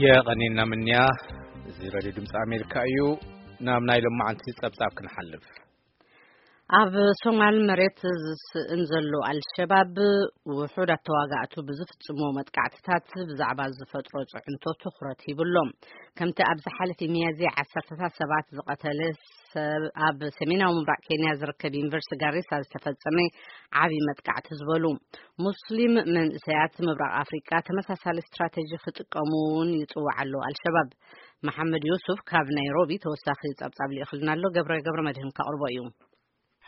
የቐኔና ምንያ። እዚ ሬድዮ ድምፂ ኣሜሪካ እዩ። ናብ ናይ ሎማዓንቲ ጸብጻብ ክንሓልፍ። ኣብ ሶማል መሬት ዝስእን ዘሎ ኣልሸባብ፣ ውሑዳት ተዋጋእቱ ብዝፍጽሞ መጥቃዕትታት ብዛዕባ ዝፈጥሮ ጽዕንቶ ትኹረት ሂብሎም። ከምቲ ኣብ ዝሓለፈ ሚያዝያ ዓሰርተታት ሰባት ዝቐተለ ሰብ፣ ኣብ ሰሜናዊ ምብራቕ ኬንያ ዝርከብ ዩኒቨርሲቲ ጋሪሳ ዝተፈጸመ ዓቢ መጥቃዕቲ ዝበሉ ሙስሊም መንእሰያት ምብራቕ ኣፍሪቃ ተመሳሳሊ ስትራተጂ ክጥቀሙ እውን ይጽዋዕ ኣሎ ኣልሸባብ። መሓመድ ዩሱፍ ካብ ናይሮቢ ተወሳኺ ጸብጻብ ልኢኽልና ኣሎ። ገብረ፣ ገብረ መድህን ከቕርቦ እዩ።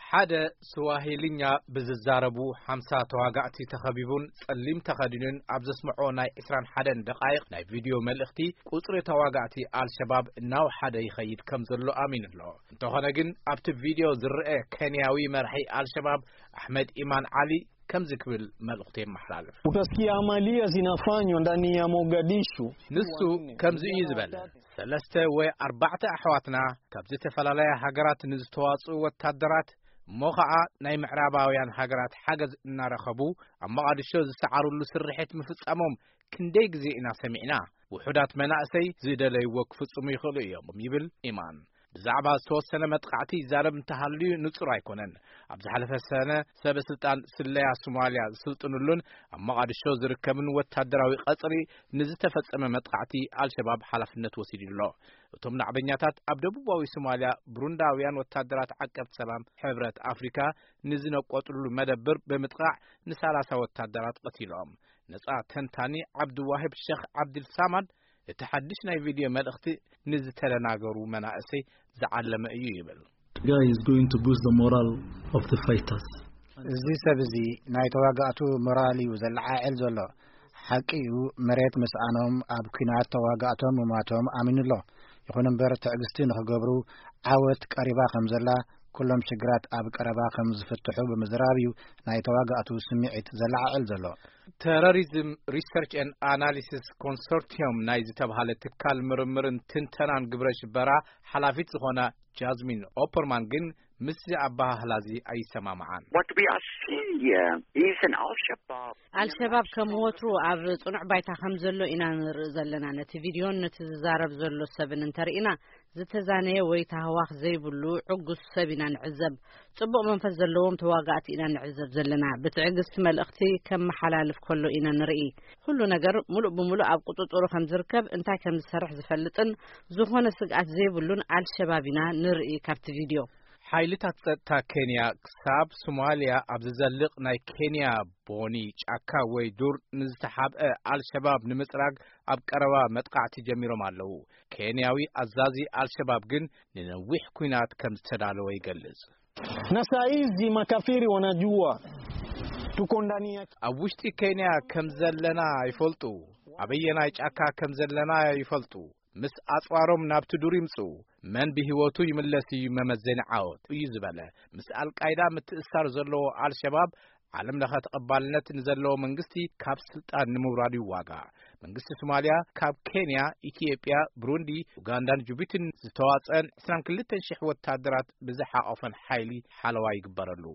ሓደ ስዋሂልኛ ብዝዛረቡ ሓምሳ ተዋጋእቲ ተኸቢቡን ጸሊም ተኸዲኑን ኣብ ዘስምዖ ናይ ዕስራን ሓደን ደቓይቕ ናይ ቪድዮ መልእኽቲ፣ ቁጽሪ ተዋጋእቲ ኣልሸባብ እናወሓደ ይኸይድ ከም ዘሎ ኣሚኑ ኣሎ። እንተኾነ ግን፣ ኣብቲ ቪድዮ ዝረአ ኬንያዊ መራሒ ኣልሸባብ ኣሕመድ ኢማን ዓሊ ከምዚ ክብል መልእኽቱ የመሓላልፍ። Utasikia amalia zinafanywa ndani ya Mogadishu። ንሱ ከምዚ እዩ ዝበለ፣ ሰለስተ ወይ ኣርባዕተ ኣሕዋትና ካብ ዝተፈላለያ ሃገራት ንዝተዋጽኡ ወታደራት፣ እሞ ኸዓ ናይ ምዕራባውያን ሃገራት ሓገዝ እናረኸቡ ኣብ መቓድሾ ዝሰዓሩሉ ስርሒት ምፍጻሞም ክንደይ ግዜ ኢና ሰሚዕና? ውሑዳት መናእሰይ ዝደለይዎ ክፍጽሙ ይኽእሉ እዮም፣ ይብል ኢማን። ብዛዕባ ዝተወሰነ መጥቃዕቲ ይዛረብ እንተሃልዩ ንጹር ኣይኮነን። ኣብ ዝሓለፈ ሰነ ሰበ ስልጣን ስለያ ሶማልያ ዝስልጥኑሉን ኣብ መቓድሾ ዝርከብን ወታደራዊ ቀጽሪ ንዝተፈጸመ መጥቃዕቲ ኣልሸባብ ሓላፍነት ወሲዱ ኣሎ። እቶም ናዕበኛታት ኣብ ደቡባዊ ሶማልያ ብሩንዳውያን ወታደራት ዓቀብቲ ሰላም ሕብረት ኣፍሪካ ንዝነቆጥሉ መደብር ብምጥቃዕ ንሰላሳ ወታደራት ቀቲሎም። ነጻ ተንታኒ ዓብድዋሂብ ሸኽ ዓብድልሳማድ፣ እቲ ሓድሽ ናይ ቪድዮ መልእኽቲ ንዝተደናገሩ መናእሰይ ዝዓለመ እዩ ይብል። Guy is going to boost the moral of the fighters. እዚ ሰብ እዚ ናይ ተዋጋእቱ ሞራል እዩ ዘለዓዕል ዘሎ። ሓቂ እዩ፣ መሬት ምስኣኖም ኣብ ኲናት ተዋጋእቶም ምማቶም ኣሚኑ ኣሎ። ይኹን እምበር፣ ትዕግስቲ ንኽገብሩ፣ ዓወት ቀሪባ ከም ዘላ፣ ኩሎም ሽግራት ኣብ ቀረባ ከም ዝፍትሑ ብምዝራብ እዩ ናይ ተዋጋእቱ ስምዒት ዘለዓዕል ዘሎ። ተረሪዝም ሪሰርች ኤንድ ኣናሊሲስ ኮንሶርቲዮም ናይ ዝተብሃለ ትካል ምርምርን ትንተናን ግብረ ሽበራ ሓላፊት ዝኾና ጃዝሚን ኦፐርማን ግን ምስዚ ኣበሃህላ እዚ ኣይሰማምዓን። What we are seeing here is an Al-Shabaab. ኣልሸባብ ከም ወትሩ ኣብ ጽኑዕ ባይታ ከም ዘሎ ኢና ንርኢ ዘለና። ነቲ ቪድዮን ነቲ ዝዛረብ ዘሎ ሰብን እንተርኢና፣ ዝተዛነየ ወይ ታህዋኽ ዘይብሉ ዕጉስ ሰብ ኢና ንዕዘብ። ጽቡቕ መንፈስ ዘለዎም ተዋጋእቲ ኢና ንዕዘብ ዘለና። ብትዕግስቲ መልእኽቲ ከመሓላልፍ ከሎ ኢና ንርኢ። ኩሉ ነገር ሙሉእ ብሙሉእ ኣብ ቁጽጽሩ ከም ዝርከብ፣ እንታይ ከም ዝሰርሕ ዝፈልጥን ዝኾነ ስግኣት ዘይብሉን ኣልሸባብ ኢና ንርኢ ካብቲ ቪድዮ። ሓይልታት ጸጥታ ኬንያ ክሳብ ሶማልያ ኣብ ዝዘልቕ ናይ ኬንያ ቦኒ ጫካ ወይ ዱር ንዝተሓብአ ኣልሸባብ ንምጽራግ ኣብ ቀረባ መጥቃዕቲ ጀሚሮም ኣለዉ። ኬንያዊ ኣዛዚ ኣልሸባብ ግን ንነዊሕ ኲናት ከም ዝተዳለወ ይገልጽ። Na saa hizi makafiri wanajua tuko ndani ya ኣብ ውሽጢ ኬንያ ከም ዘለና ይፈልጡ፣ ኣበየናይ ጫካ ከም ዘለና ይፈልጡ። ምስ ኣጽዋሮም ናብቲ ዱር ይምጽኡ። መን ብህይወቱ ይምለስ እዩ መመዘኒ ዓወት እዩ ዝበለ። ምስ ኣልቃይዳ ምትእስሳር ዘለዎ ኣልሸባብ ዓለም ለኸ ተቐባልነት ንዘለዎ መንግስቲ ካብ ስልጣን ንምውራድ ይዋጋእ። መንግስቲ ሶማልያ ካብ ኬንያ፣ ኢትዮጵያ፣ ብሩንዲ፣ ኡጋንዳን ጅቡቲን ዝተዋጸአን ዕስራን ክልተን ሽሕ ወታደራት ብዝሓቆፈን ሓይሊ ሓለዋ ይግበረሉ።